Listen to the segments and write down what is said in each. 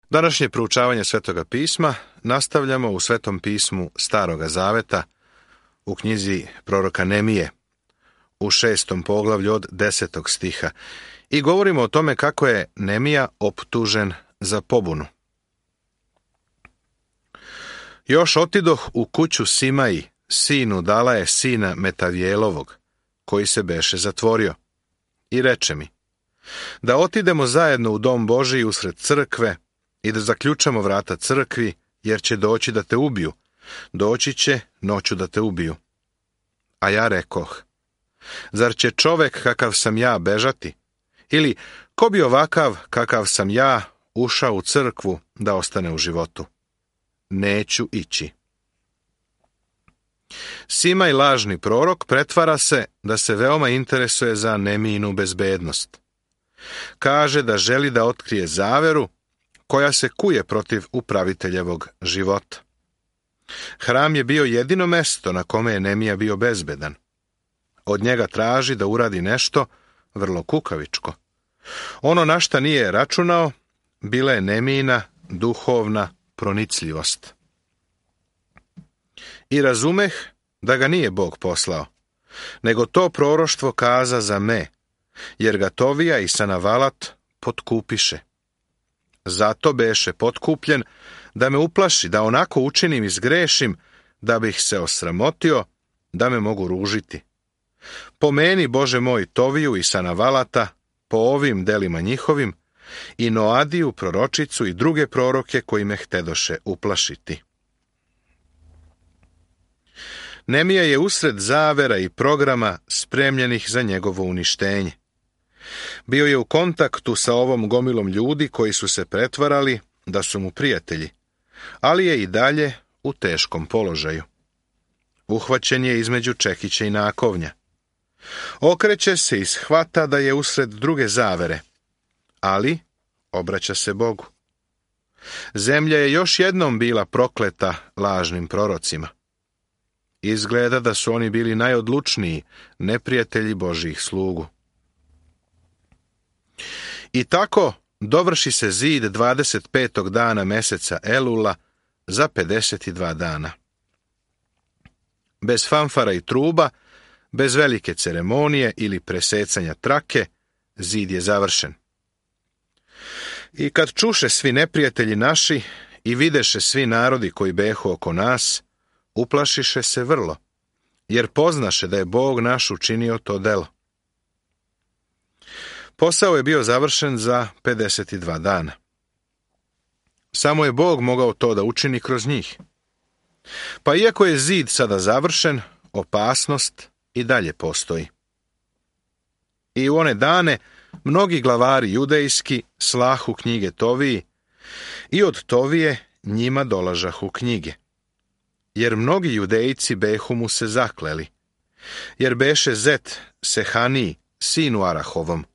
Današnje proučavanje Svetoga pisma nastavljamo u Svetom pismu Staroga Zaveta u knjizi proroka Nemije u 6. poglavlju od 10. stiha i govorimo o tome kako je Nemija optužen za pobunu. Još otidoh u kuću Simaji, sinu Dalaje, sina Metavjelovog, koji se beše zatvorio, i reče mi, da otidemo zajedno u dom Božiji usred crkve i da zaključamo vrata crkvi, jer će doći da te ubiju, doći će noću da te ubiju. A ja rekoh, zar će čovek kakav sam ja bežati? Ili ko bi ovakav kakav sam ja ušao u crkvu da ostane u životu? Neću ići. Simaj, lažni prorok, pretvara se da se veoma interesuje za Nemijinu bezbednost. Kaže da želi da otkrije zaveru koja se kuje protiv upraviteljevog života. Hram je bio jedino mesto na kome je Nemija bio bezbedan. Od njega traži da uradi nešto vrlo kukavičko. Ono na šta nije računao bila je Nemijina duhovna pronicljivost. I razumeh da ga nije Bog poslao, nego to proroštvo kaza za me, jer ga Tovija i Sanavalat potkupiše. Zato beše potkupljen da me uplaši, da onako učinim i zgrešim, da bih se osramotio, da me mogu ružiti. Pomeni, Bože moj, Toviju i Sanavalata po ovim delima njihovim i Noadiju, proročicu i druge proroke koji me htedoše uplašiti. Nemija je usred zavera i programa spremljenih za njegovo uništenje. Bio je u kontaktu sa ovom gomilom ljudi koji su se pretvarali da su mu prijatelji, ali je i dalje u teškom položaju. Uhvaćen je između čekića i nakovnja. Okreće se i shvata da je usred druge zavere, ali obraća se Bogu. Zemlja je još jednom bila prokleta lažnim prorocima. Izgleda da su oni bili najodlučniji neprijatelji Božjih slugu. I tako dovrši se zid 25. dana meseca Elula za 52 dana. Bez fanfara i truba, bez velike ceremonije ili presecanja trake, zid je završen. I kad čuše svi neprijatelji naši i videše svi narodi koji behu oko nas, uplašiše se vrlo, jer poznaše da je Bog naš učinio to delo. Posao je bio završen za 52 dana. Samo je Bog mogao to da učini kroz njih. Pa iako je zid sada završen, opasnost i dalje postoji. I u one dane mnogi glavari judejski slahu knjige Toviji i od Tovije njima dolažahu knjige. Jer mnogi judejci behu mu se zakleli, jer beše Zet Sehaniji, sinu Arahovom,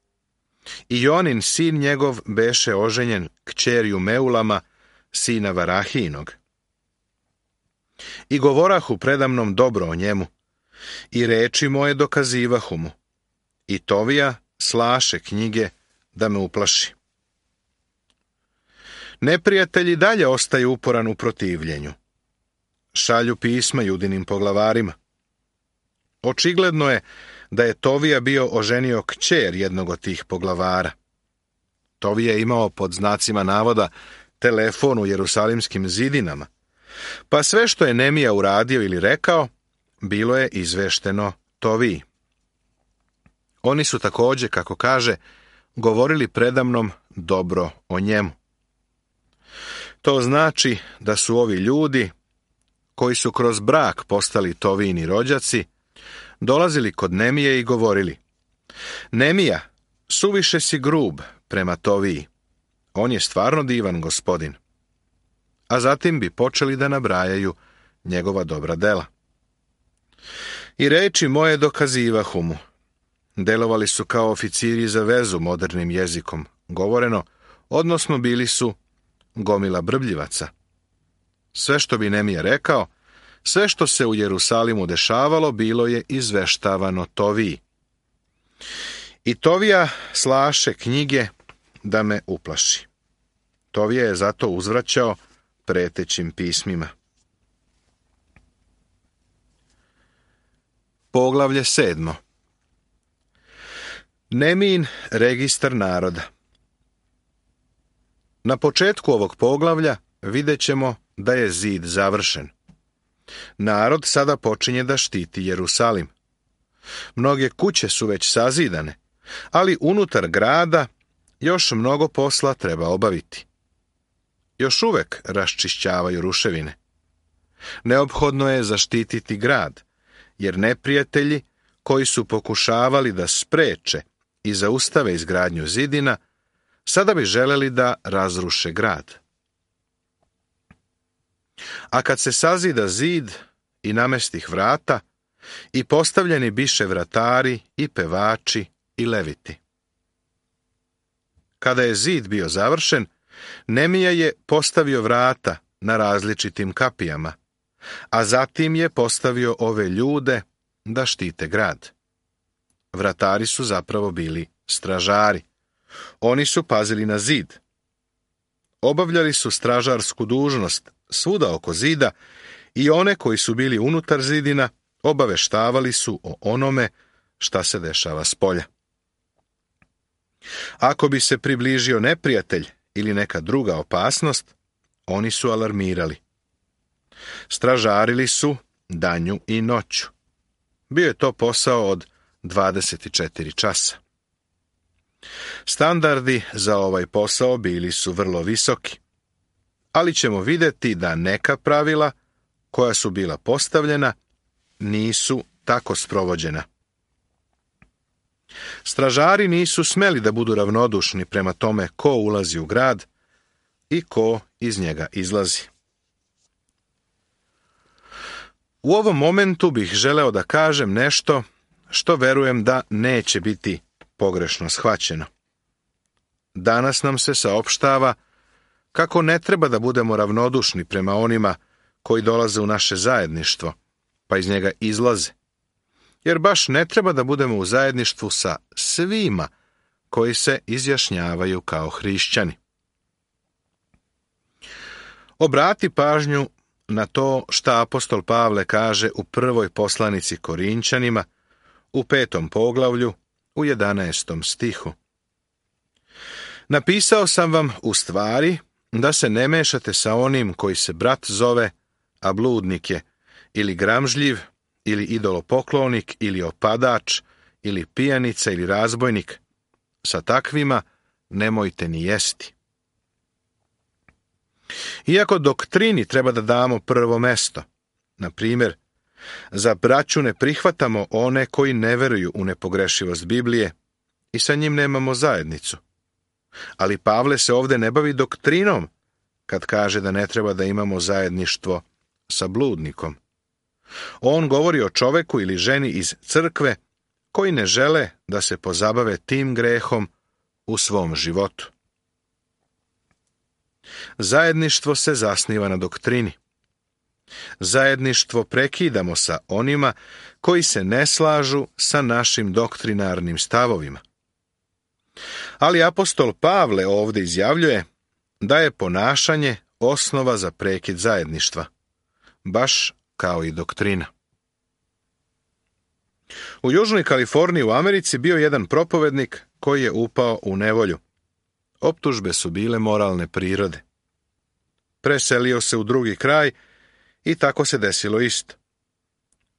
i Jonin, sin njegov, beše oženjen kćerju Meulama, sina Varahinog. I govorahu predamnom dobro o njemu, i reči moje dokazivahu mu, i Tovija slaše knjige da me uplaši. Neprijatelji dalje ostaju uporan u protivljenju. Šalju pisma judinim poglavarima. Očigledno je da je Tovija bio oženio kćer jednog od tih poglavara. Tovija je imao pod znacima navoda telefon u jerusalimskim zidinama, pa sve što je Nemija uradio ili rekao, bilo je izvešteno Toviji. Oni su također, kako kaže, govorili predamnom dobro o njemu. To znači da su ovi ljudi, koji su kroz brak postali Tovijini rođaci, dolazili kod Nemije i govorili: Nemija, suviše si grub prema Toviji. On je stvarno divan gospodin. A zatim bi počeli da nabrajaju njegova dobra dela. I reči moje dokazivahu mu. Delovali su kao oficiri za vezu modernim jezikom govoreno, odnosno bili su gomila brbljivaca. Sve što bi Nemija rekao, sve što se u Jerusalimu dešavalo, bilo je izveštavano Toviji. I Tovija slaše knjige da me uplaši. Tovija je zato uzvraćao pretećim pismima. Poglavlje 7. Nemin registar naroda. Na početku ovog poglavlja vidjet ćemo da je zid završen. Narod sada počinje da štiti Jerusalim. Mnoge kuće su već sazidane, ali unutar grada još mnogo posla treba obaviti. Još uvek raščišćavaju ruševine. Neophodno je zaštititi grad, jer neprijatelji koji su pokušavali da spreče i zaustave izgradnju zidina, sada bi želeli da razruše grad. A kad se sazida zid i namestih vrata, i postavljeni biše vratari i pevači i leviti. Kada je zid bio završen, Nemija je postavio vrata na različitim kapijama, a zatim je postavio ove ljude da štite grad. Vratari su zapravo bili stražari. Oni su pazili na zid. Obavljali su stražarsku dužnost svuda oko zida i one koji su bili unutar zidina obaveštavali su o onome šta se dešava spolja. Ako bi se približio neprijatelj ili neka druga opasnost, oni su alarmirali. Stražarili su danju i noću. Bio je to posao od 24 časa. Standardi za ovaj posao bili su vrlo visoki, ali ćemo vidjeti da neka pravila koja su bila postavljena nisu tako sprovođena. Stražari nisu smeli da budu ravnodušni prema tome ko ulazi u grad i ko iz njega izlazi. U ovom momentu bih želeo da kažem nešto što verujem da neće biti pogrešno shvaćeno. Danas nam se saopštava kako ne treba da budemo ravnodušni prema onima koji dolaze u naše zajedništvo, pa iz njega izlaze. Jer baš ne treba da budemo u zajedništvu sa svima koji se izjašnjavaju kao hrišćani. Obrati pažnju na to šta apostol Pavle kaže u prvoj poslanici Korinćanima, u 5. poglavlju, u 11. stihu. Napisao sam vam u stvari da se ne mešate sa onim koji se brat zove, a bludnik je, ili gramžljiv, ili idolopoklonik, ili opadač, ili pijanica, ili razbojnik. Sa takvima nemojte ni jesti. Iako doktrini treba da damo prvo mesto, na primjer, za braću ne prihvatamo one koji ne veruju u nepogrešivost Biblije i sa njim nemamo zajednicu. Ali Pavle se ovdje ne bavi doktrinom kad kaže da ne treba da imamo zajedništvo sa bludnikom. On govori o čoveku ili ženi iz crkve koji ne žele da se pozabave tim grehom u svom životu. Zajedništvo se zasniva na doktrini. Zajedništvo prekidamo sa onima koji se ne slažu sa našim doktrinarnim stavovima. Ali apostol Pavle ovdje izjavljuje da je ponašanje osnova za prekid zajedništva, baš kao i doktrina. U Južnoj Kaliforniji u Americi bio jedan propovednik koji je upao u nevolju. Optužbe su bile moralne prirode. Preselio se u drugi kraj i tako se desilo isto.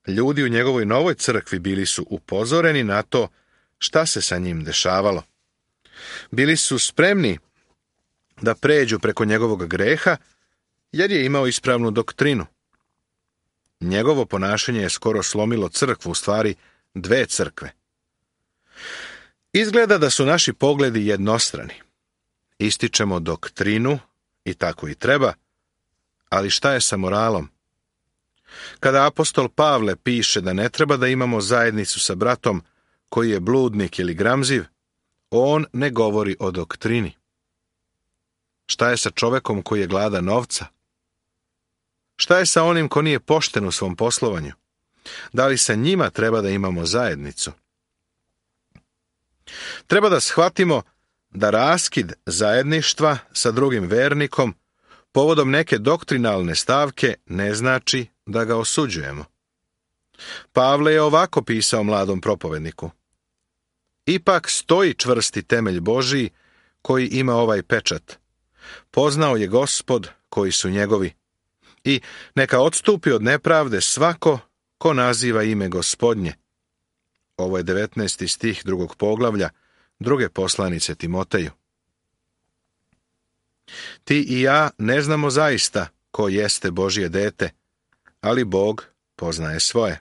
Ljudi u njegovoj novoj crkvi bili su upozoreni na to šta se sa njim dešavalo. Bili su spremni da pređu preko njegovog greha jer je imao ispravnu doktrinu. Njegovo ponašanje je skoro slomilo crkvu, u stvari dve crkve. Izgleda da su naši pogledi jednostrani. Ističemo doktrinu i tako i treba, ali šta je sa moralom? Kada apostol Pavle piše da ne treba da imamo zajednicu sa bratom koji je bludnik ili gramziv, on ne govori o doktrini. Šta je sa čovekom koji je gladan novca? Šta je sa onim ko nije pošten u svom poslovanju? Da li sa njima treba da imamo zajednicu? Treba da shvatimo da raskid zajedništva sa drugim vernikom povodom neke doktrinalne stavke ne znači da ga osuđujemo. Pavle je ovako pisao mladom propovedniku: ipak stoji čvrsti temelj Božiji koji ima ovaj pečat. Poznao je Gospod koji su njegovi. I neka odstupi od nepravde svako ko naziva ime Gospodnje. Ovo je 19. stih 2. poglavlja 2. poslanice Timoteju. Ti i ja ne znamo zaista ko jeste Božje dete, ali Bog poznaje svoje.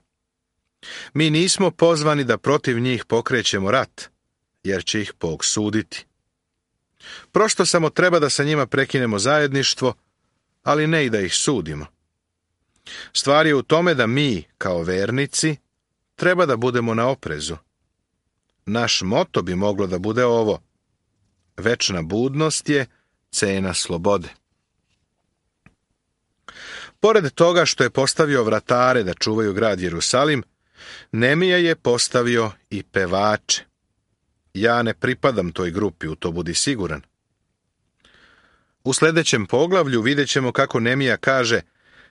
Mi nismo pozvani da protiv njih pokrećemo rat, jer će ih Bog suditi. Prosto samo treba da sa njima prekinemo zajedništvo, ali ne i da ih sudimo. Stvar je u tome da mi, kao vernici, treba da budemo na oprezu. Naš moto bi moglo da bude ovo: večna budnost je cena slobode. Pored toga što je postavio vratare da čuvaju grad Jerusalim, Nemija je postavio i pevače. Ja ne pripadam toj grupi, u to budi siguran. U sljedećem poglavlju vidjet ćemo kako Nemija kaže: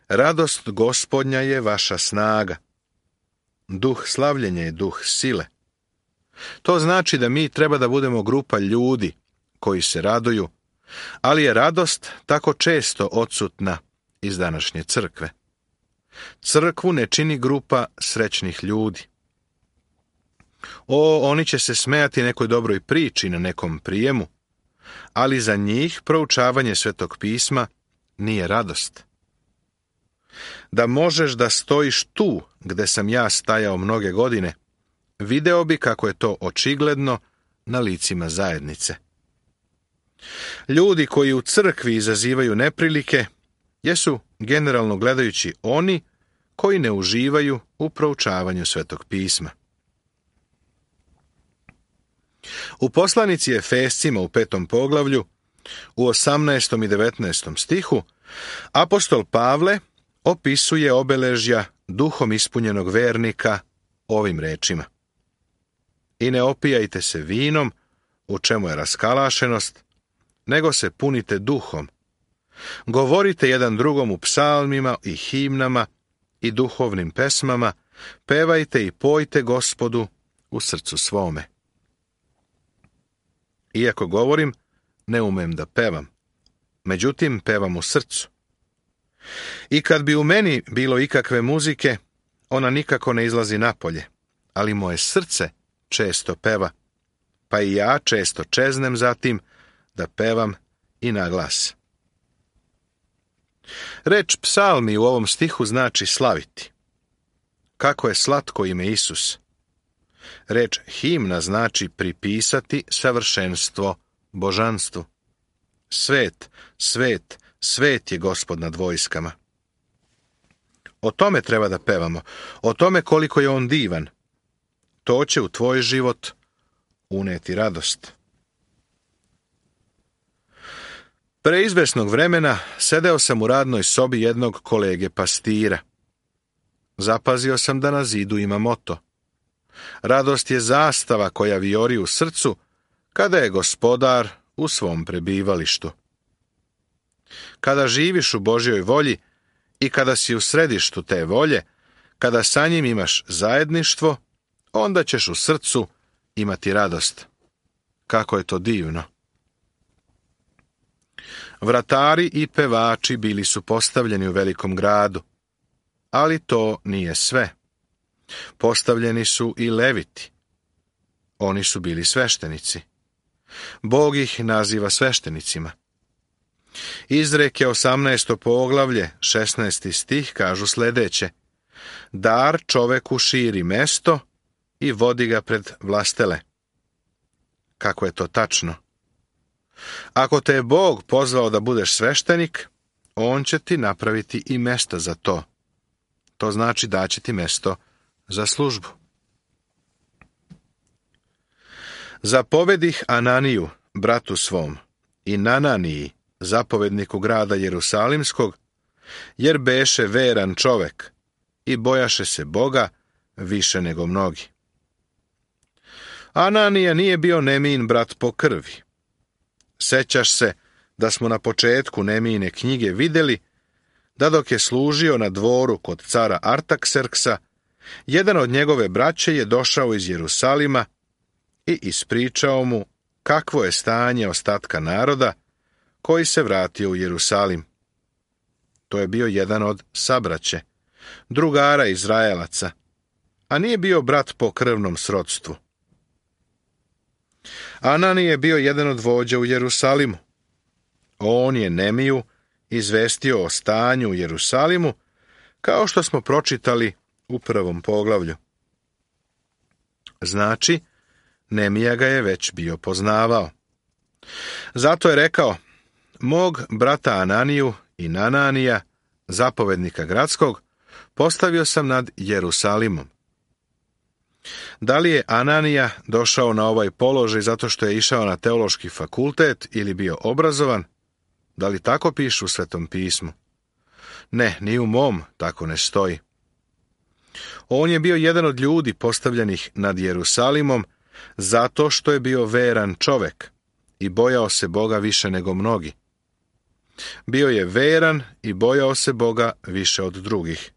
radost Gospodnja je vaša snaga. Duh slavljenja je duh sile. To znači da mi treba da budemo grupa ljudi koji se raduju, ali je radost tako često odsutna iz današnje crkve. Crkvu ne čini grupa srećnih ljudi. Oni će se smejati nekoj dobroj priči na nekom prijemu, ali za njih proučavanje Svetog pisma nije radost. Da možeš da stojiš tu gde sam ja stajao mnoge godine, video bi kako je to očigledno na licima zajednice. Ljudi koji u crkvi izazivaju neprilike jesu, generalno gledajući, oni koji ne uživaju u proučavanju Svetog pisma. U poslanici Efescima u 5. poglavlju, u 18. i 19. stihu, apostol Pavle opisuje obeležja duhom ispunjenog vernika ovim rečima: i ne opijajte se vinom, u čemu je raskalašenost, nego se punite duhom. Govorite jedan drugom u psalmima i himnama i duhovnim pesmama, pevajte i pojte Gospodu u srcu svome. Iako govorim, ne umem da pevam, međutim pevam u srcu. I kad bi u meni bilo ikakve muzike, ona nikako ne izlazi napolje, ali moje srce često peva, pa i ja često čeznem za tim da pevam i na glas. Reč psalmi u ovom stihu znači slaviti. Kako je slatko ime Isus. Reč himna znači pripisati savršenstvo božanstvu. Svet, svet, svet je Gospod nad vojskama. O tome treba da pevamo, o tome koliko je on divan. To će u tvoj život uneti radost. Pre izvesnog vremena sedeo sam u radnoj sobi jednog kolege pastira. Zapazio sam da na zidu ima moto: radost je zastava koja vijori u srcu kada je Gospodar u svom prebivalištu. Kada živiš u Božjoj volji i kada si u središtu te volje, kada sa njim imaš zajedništvo, onda ćeš u srcu imati radost. Kako je to divno! Vratari i pevači bili su postavljeni u velikom gradu, ali to nije sve. Postavljeni su i leviti. Oni su bili sveštenici. Bog ih naziva sveštenicima. Izreke 18. poglavlje, 16. stih kažu sljedeće: dar čoveku širi mesto i vodi ga pred vlastele. Kako je to tačno! Ako te je Bog pozvao da budeš sveštenik, on će ti napraviti i mesto za to. To znači da će ti mesto za službu. Zapovedih Ananiju, bratu svom, i Nananiji, zapovedniku grada Jerusalimskog, jer beše veran čovek i bojaše se Boga više nego mnogi. Ananija nije bio Nemijin brat po krvi, Sećaš se da smo na početku Nemijine knjige vidjeli da dok je služio na dvoru kod cara Artakserksa, jedan od njegove braće je došao iz Jerusalima i ispričao mu kakvo je stanje ostatka naroda koji se vratio u Jerusalim. To je bio jedan od sabraće, drugara Izraelaca, a nije bio brat po krvnom srodstvu. Anani je bio jedan od vođa u Jerusalimu. On je Nemiju izvestio o stanju u Jerusalimu, kao što smo pročitali u 1. poglavlju. Znači, Nemija ga je već bio poznavao. Zato je rekao: mog brata Ananiju i Nananija, zapovednika gradskog, postavio sam nad Jerusalimom. Da li je Ananija došao na ovaj položaj zato što je išao na teološki fakultet ili bio obrazovan? Da li tako piše u Svetom pismu? Ne, ni u mom tako ne stoji. On je bio jedan od ljudi postavljenih nad Jerusalimom zato što je bio veran čovek i bojao se Boga više nego mnogi. Bio je veran i bojao se Boga više od drugih.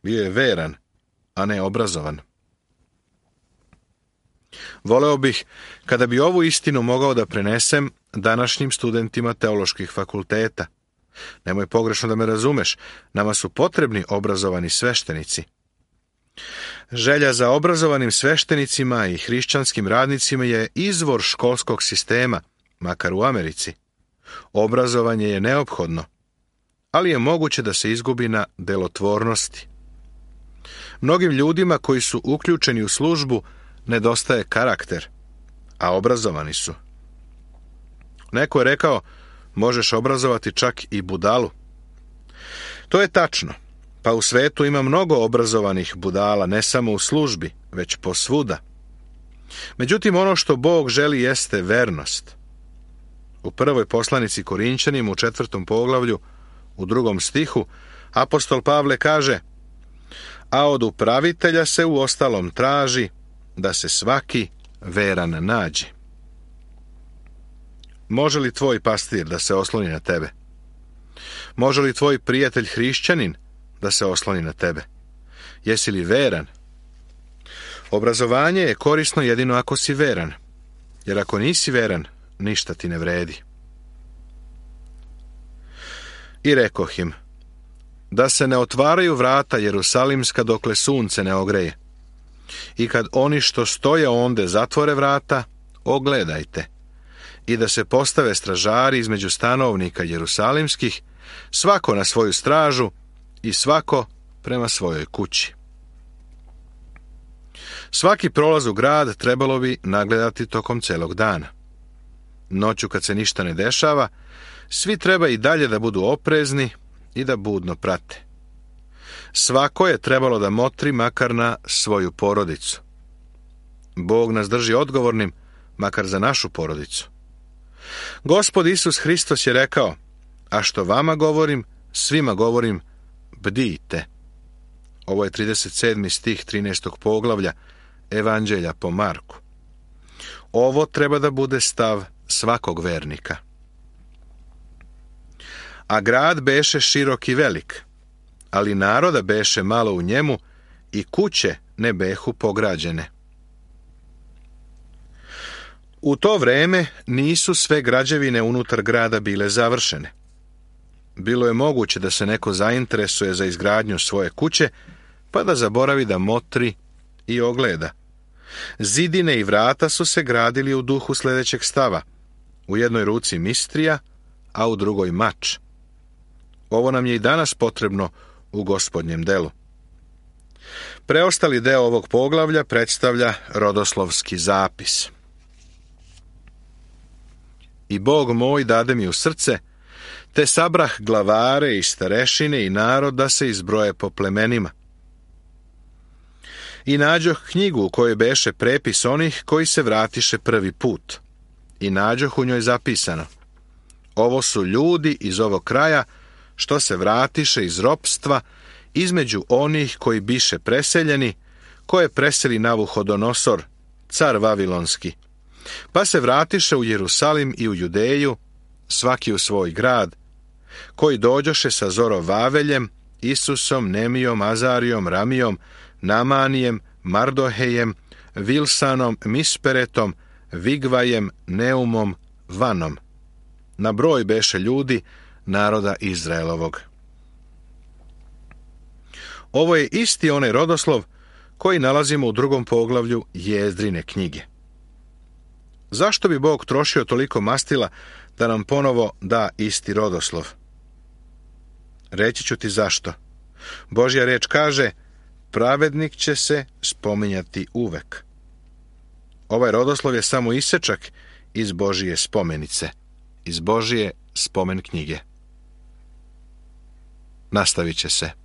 Bio je veran, a ne obrazovan. Voleo bih kada bi ovu istinu mogao da prenesem današnjim studentima teoloških fakulteta. Nemoj pogrešno da me razumeš, nama su potrebni obrazovani sveštenici. Želja za obrazovanim sveštenicima i hrišćanskim radnicima je izvor školskog sistema, makar u Americi. Obrazovanje je neophodno, ali je moguće da se izgubi na delotvornosti. Mnogim ljudima koji su uključeni u službu nedostaje karakter, a obrazovani su. Neko je rekao: možeš obrazovati čak i budalu. To je tačno, pa u svetu ima mnogo obrazovanih budala, ne samo u službi, već posvuda. Međutim, ono što Bog želi jeste vernost. U 1. poslanici Korinćanima u 4. poglavlju, u 2. stihu, apostol Pavle kaže: a od upravitelja se u ostalom traži da se svaki veran nađe. Može li tvoj pastir da se osloni na tebe? Može li tvoj prijatelj hrišćanin da se osloni na tebe? Jesi li veran? Obrazovanje je korisno jedino ako si veran, jer ako nisi veran, ništa ti ne vredi. I rekoh im: da se ne otvaraju vrata Jerusalimska dokle sunce ne ogreje. I kad oni što stoje onde zatvore vrata, ogledajte. I da se postave stražari između stanovnika Jerusalimskih, svako na svoju stražu i svako prema svojoj kući. Svaki prolaz u grad trebalo bi nagledati tokom celog dana. Noću kad se ništa ne dešava, svi treba i dalje da budu oprezni i da budno prate. Svako je trebalo da motri makar na svoju porodicu. Bog nas drži odgovornim makar za našu porodicu. Gospod Isus Hristos je rekao: a što vama govorim, svima govorim, bdijte. Ovo je 37. stih 13. poglavlja Evanđelja po Marku. Ovo treba da bude stav svakog vernika. A grad beše širok i velik, ali naroda beše malo u njemu i kuće ne behu pograđene. U to vreme nisu sve građevine unutar grada bile završene. Bilo je moguće da se neko zainteresuje za izgradnju svoje kuće, pa da zaboravi da motri i ogleda. Zidine i vrata su se gradili u duhu sljedećeg stava: u jednoj ruci mistrija, a u drugoj mač. Ovo nam je i danas potrebno u Gospodnjem delu. Preostali deo ovog poglavlja predstavlja rodoslovski zapis. I Bog moj dade mi u srce, te sabrah glavare i starešine i narod da se izbroje po plemenima. I nađoh knjigu u kojoj beše prepis onih koji se vratiše prvi put. I nađoh u njoj zapisano: ovo su ljudi iz ovog kraja što se vratiše iz ropstva između onih koji biše preseljeni, koje preseli Navuhodonosor, car Vavilonski, pa se vratiše u Jerusalim i u Judeju svaki u svoj grad, koji dođoše sa Zorovaveljem, Isusom, Nemijom, Azarijom, Ramijom, Namanijem, Mardohejem, Vilsanom, Misperetom, Vigvajem, Neumom, Vanom. Na broj beše ljudi naroda Izraelovog. Ovo je isti onaj rodoslov koji nalazimo u 2. poglavlju Jezdrine knjige. Zašto bi Bog trošio toliko mastila da nam ponovo da isti rodoslov? Reći ću ti zašto. Božja reč kaže, pravednik će se spominjati uvek. Ovaj rodoslov je samo isečak iz Božije spomenice, iz Božije spomen knjige. Nastavit će se.